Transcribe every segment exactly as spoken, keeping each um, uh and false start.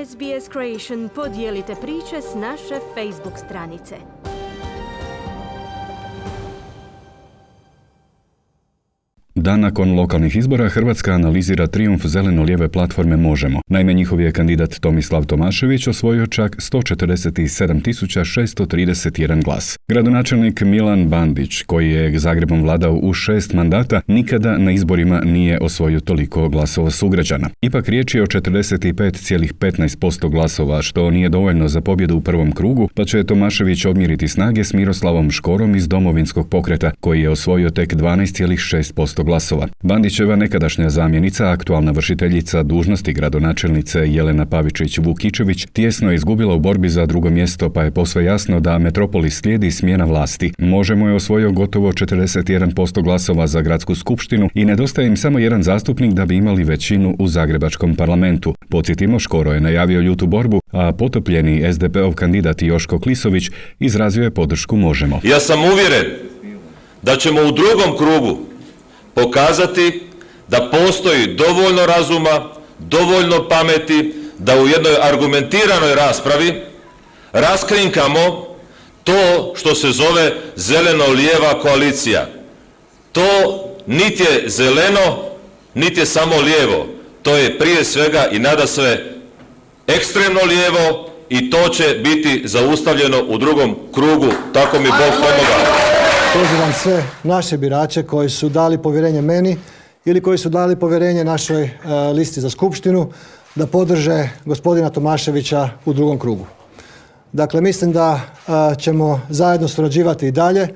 S B S Creation podijelite priče s naše Facebook stranice. Dan nakon lokalnih izbora Hrvatska analizira trijumf zeleno-lijeve platforme Možemo. Naime, njihov je kandidat Tomislav Tomašević osvojio čak sto četrdeset sedam tisuća šesto trideset jedan glas. Gradonačelnik Milan Bandić, koji je Zagrebom vladao u šest mandata, nikada na izborima nije osvojio toliko glasova sugrađana. Ipak riječ je o četrdeset pet zarez petnaest posto glasova, što nije dovoljno za pobjedu u prvom krugu, pa će Tomašević odmjeriti snage s Miroslavom Škorom iz Domovinskog pokreta, koji je osvojio tek dvanaest zarez šest posto glasova. Bandićeva nekadašnja zamjenica, aktualna vršiteljica dužnosti gradonačelnice Jelena Pavičić-Vukičević, tijesno je izgubila u borbi za drugo mjesto, pa je posve jasno da Metropolis slijedi smjena vlasti. Možemo je osvojio gotovo četrdeset jedan posto glasova za gradsku skupštinu i nedostaje im samo jedan zastupnik da bi imali većinu u zagrebačkom parlamentu. Podsjetimo, Škoro je najavio ljutu borbu, a potopljeni es de pe-ov kandidat Joško Klisović izrazio je podršku Možemo. Ja sam uvjeren da ćemo u drugom krugu pokazati da postoji dovoljno razuma, dovoljno pameti, da u jednoj argumentiranoj raspravi raskrinkamo to što se zove zeleno-lijeva koalicija. To niti je zeleno, niti je samo lijevo. To je prije svega i nadasve ekstremno lijevo i to će biti zaustavljeno u drugom krugu. Tako mi Bog pomoga. Pozivam sve naše birače koji su dali povjerenje meni ili koji su dali povjerenje našoj e, listi za skupštinu da podrže gospodina Tomaševića u drugom krugu. Dakle, mislim da e, ćemo zajedno surađivati i dalje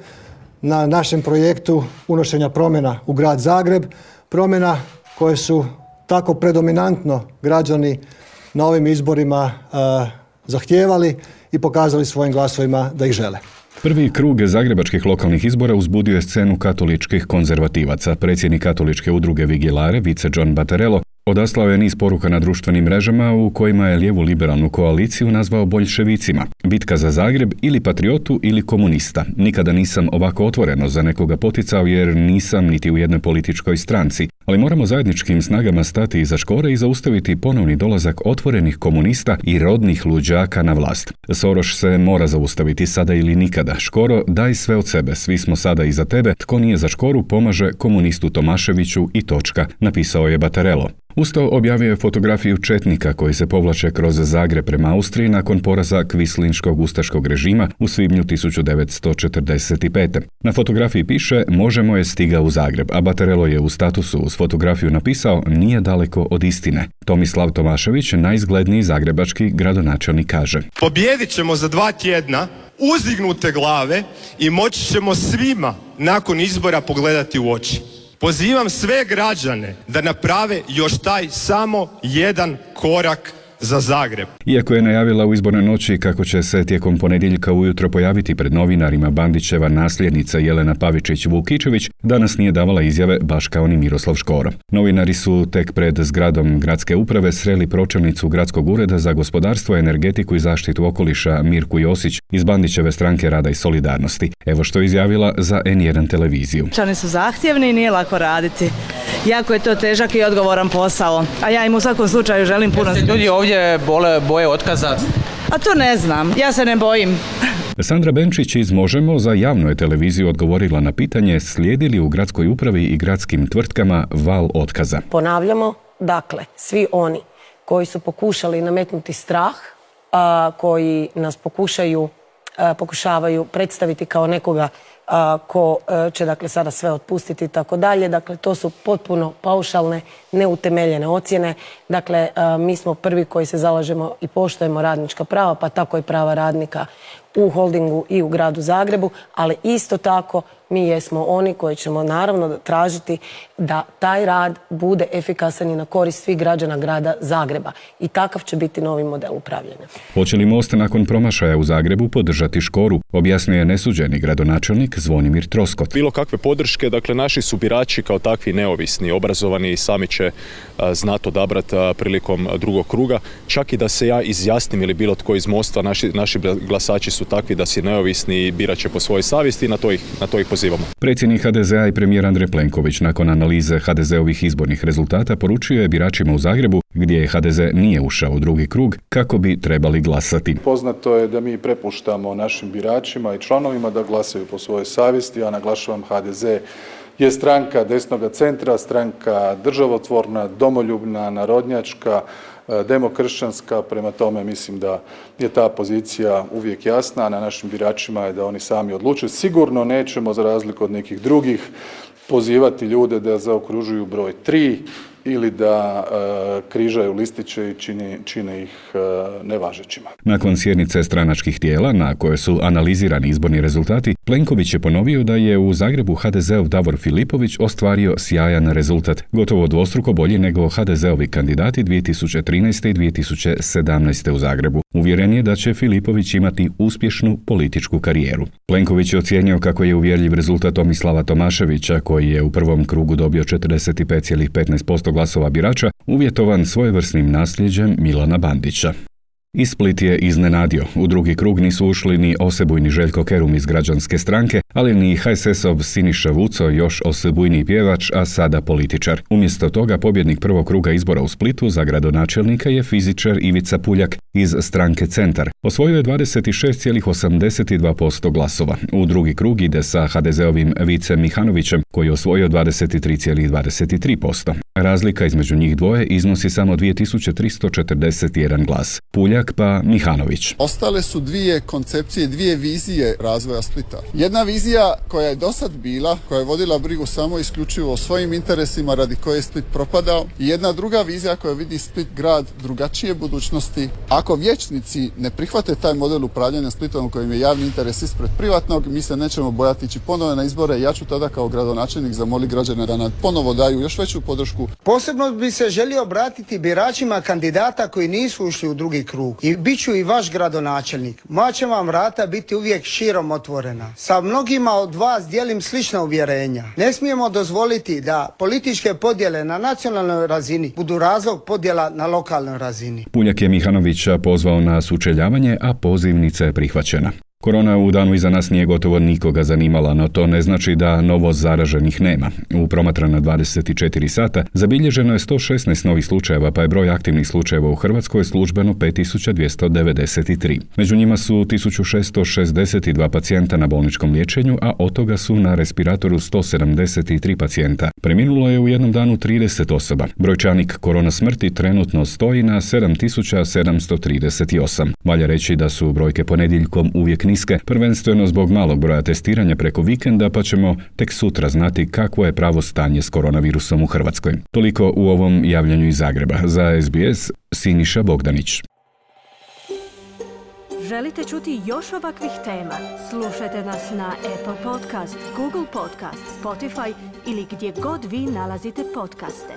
na našem projektu unošenja promjena u grad Zagreb, promjena koje su tako predominantno građani na ovim izborima e, zahtijevali i pokazali svojim glasovima da ih žele. Prvi krug zagrebačkih lokalnih izbora uzbudio je scenu katoličkih konzervativaca. Predsjednik katoličke udruge Vigilare, vice John Battarello, odaslao je niz poruka na društvenim mrežama u kojima je lijevu liberalnu koaliciju nazvao boljševicima. Bitka za Zagreb ili patriotu ili komunista. Nikada nisam ovako otvoreno za nekoga poticao jer nisam niti u jednoj političkoj stranci. Ali moramo zajedničkim snagama stati iza Škore i zaustaviti ponovni dolazak otvorenih komunista i rodnih luđaka na vlast. Soroš se mora zaustaviti sada ili nikada. Škoro, daj sve od sebe, svi smo sada iza tebe, tko nije za Škoru pomaže komunistu Tomaševiću i točka, napisao je Battarello. Usto objavio je fotografiju četnika koji se povlače kroz Zagreb prema Austriji nakon poraza kvislinškog ustaškog režima u svibnju tisuću devetsto četrdeset pete. Na fotografiji piše Možemo je stigao u Zagreb, a Battarello je u statusu uz fotografiju napisao nije daleko od istine. Tomislav Tomašević, najizgledniji zagrebački gradonačelnik, kaže: Pobijedit ćemo za dva tjedna uzdignute glave i moći ćemo svima nakon izbora pogledati u oči. Pozivam sve građane da naprave još taj samo jedan korak za Zagreb. Iako je najavila u izbornoj noći kako će se tijekom ponedjeljka ujutro pojaviti pred novinarima Bandićeva nasljednica Jelena Pavičić-Vukičević, danas nije davala izjave baš kao ni Miroslav Škoro. Novinari su tek pred zgradom gradske uprave sreli pročelnicu Gradskog ureda za gospodarstvo, energetiku i zaštitu okoliša Mirku Josić iz Bandićeve stranke Rada i solidarnosti. Evo što je izjavila za en jedan televiziju. Čani su zahtjevni i nije lako raditi. Jako je to težak i odgovoran posao, a ja im u svakom slučaju želim puno. Ljudi ovdje bole, boje otkaza? A to ne znam, ja se ne bojim. Sandra Benčić iz Možemo za javnu je televiziju odgovorila na pitanje slijedi li u gradskoj upravi i gradskim tvrtkama val otkaza. Ponavljamo, dakle, svi oni koji su pokušali nametnuti strah, a, koji nas pokušaju, a, pokušavaju predstaviti kao nekoga a, ko a, će dakle sada sve otpustiti i tako dalje. Dakle, to su potpuno paušalne, neutemeljene ocjene. Dakle, a, mi smo prvi koji se zalažemo i poštujemo radnička prava, pa tako i prava radnika u holdingu i u gradu Zagrebu, ali isto tako mi jesmo oni koji ćemo naravno tražiti da taj rad bude efikasan i na korist svih građana grada Zagreba. I takav će biti novi model upravljanja. Hoće li Most nakon promašaja u Zagrebu podržati Škoru, objasnio je nesuđeni gradonačelnik Zvonimir Troskot. Bilo kakve podrške, dakle naši su birači kao takvi neovisni, obrazovani i sami će a, znati odabrati a, prilikom drugog kruga. Čak i da se ja izjasnim ili bilo tko iz Mosta, naši, naši glasači su takvi da si neovisni i birat će po svojoj savjesti i na to ih, na to ih pozivamo. Predsjednik ha de zea i premijer Andrej Plenković nakon analize ha de zeovih izbornih rezultata poručio je biračima u Zagrebu, gdje ha de ze nije ušao u drugi krug, kako bi trebali glasati. Poznato je da mi prepuštamo našim biračima i članovima da glasaju po svojoj savjesti. Ja naglašavam, ha de ze je stranka desnoga centra, stranka državotvorna, domoljubna, narodnjačka, demokršćanska, prema tome mislim da je ta pozicija uvijek jasna, a na našim biračima je da oni sami odluče. Sigurno nećemo, za razliku od nekih drugih, pozivati ljude da zaokružuju broj tri ili da e, križaju listiće i čini, čine ih e, nevažećima. Nakon sjednice stranačkih tijela na kojoj su analizirani izborni rezultati, Plenković je ponovio da je u Zagrebu ha de zeov Davor Filipović ostvario sjajan rezultat, gotovo dvostruko bolji nego ha de zeovi kandidati dvije tisuće trinaeste i dvije tisuće sedamnaeste u Zagrebu. Uvjeren je da će Filipović imati uspješnu političku karijeru. Plenković je ocijenio kako je uvjerljiv rezultat Tomislava Tomaševića, koji je u prvom krugu dobio četrdeset pet zarez petnaest posto glasova birača, uvjetovan svojevrsnim nasljeđem Milana Bandića. I Split je iznenadio. U drugi krug nisu ušli ni osebujni Željko Kerum iz Građanske stranke, ali ni ha es es-ov Siniša Vuco, još osebujniji pjevač, a sada političar. Umjesto toga pobjednik prvog kruga izbora u Splitu za gradonačelnika je fizičar Ivica Puljak iz stranke Centar. Osvojio je dvadeset šest zarez osamdeset dva posto glasova. U drugi krug ide sa ha de zeovim Vicem Mihanovićem, koji je osvojio dvadeset tri zarez dvadeset tri posto. Razlika između njih dvoje iznosi samo dvije tisuće tristo četrdeset jedan glas. Puljak pa Mihanović. Ostale su dvije koncepcije, dvije vizije razvoja Splita. Jedna vizija koja je dosad bila, koja je vodila brigu samo isključivo o svojim interesima radi koje je Split propadao, i jedna druga vizija koja vidi Split grad drugačije budućnosti. Ako vijećnici ne prihvate taj model upravljanja Splitom u kojem je javni interes ispred privatnog, mi se nećemo bojati ići ponovo na izbore. Ja ću tada kao gradonačelnik zamoliti građane da nam ponovo daju još veću podršku. Posebno bi se želio obratiti biračima kandidata koji nisu ušli u drugi krug. I bit ću i vaš gradonačelnik. Moja će vam vrata biti uvijek širom otvorena. Sa mnogima od vas dijelim slična uvjerenja. Ne smijemo dozvoliti da političke podjele na nacionalnoj razini budu razlog podjela na lokalnoj razini. Puljak je Mihanovića pozvao na sučeljavanje, a pozivnica je prihvaćena. Korona u danu iza nas nije gotovo nikoga zanimala, no to ne znači da novo zaraženih nema. U promatrana dvadeset četiri sata zabilježeno je sto šesnaest novih slučajeva, pa je broj aktivnih slučajeva u Hrvatskoj službeno pet tisuća dvjesto devedeset tri. Među njima su tisuću šesto šezdeset dva pacijenta na bolničkom liječenju, a od toga su na respiratoru sto sedamdeset tri pacijenta. Preminulo je u jednom danu trideset osoba. Brojčanik korona smrti trenutno stoji na sedam tisuća sedamsto trideset osam. Valja reći da su brojke ponedjeljkom uvijek niske, prvenstveno zbog malog broja testiranja preko vikenda, pa ćemo tek sutra znati kakvo je pravo stanje s koronavirusom u Hrvatskoj. Toliko u ovom javljanju iz Zagreba. Za es be es, Siniša Bogdanić. Želite čuti još ovakvih tema? Slušajte nas na Apple Podcast, Google Podcast, Spotify ili gdje god vi nalazite podcaste.